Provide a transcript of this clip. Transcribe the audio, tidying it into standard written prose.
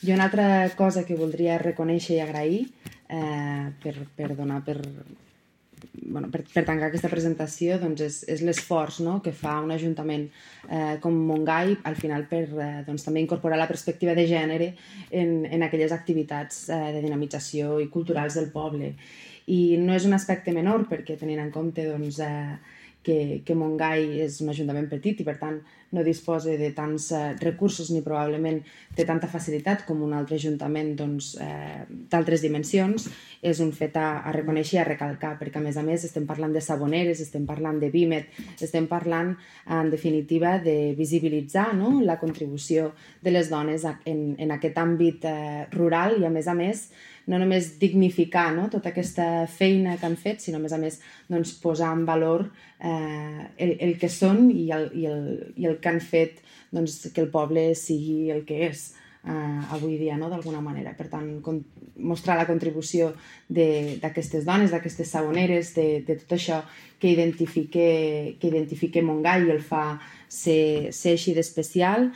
Jo una altra cosa que voldria reconèixer i agrair per tancar aquesta presentació doncs és l'esforç, no?, que fa un ajuntament com Montgai al final per també incorporar la perspectiva de gènere en aquelles activitats de dinamització i culturals del poble. I no és un aspecte menor perquè tenint en compte que Montgai és un ajuntament petit i per tant no disposa de tants recursos ni probablement té tanta facilitat com un altre ajuntament d'altres dimensions, és un fet a reconèixer i a recalcar, perquè a més estem parlant de Saboneres, estem parlant de Vímet, estem parlant en definitiva de visibilitzar, no?, la contribució de les dones en aquest àmbit rural i a més no només dignificar, no?, tota aquesta feina que han fet, sinó a més doncs, posar en valor el que són i el que han fet doncs, que el poble sigui el que és avui dia, no?, d'alguna manera. Per tant, mostrar la contribució d'aquestes dones, d'aquestes saboneres, de tot això que identifica Montgai i el fa ser així d'especial.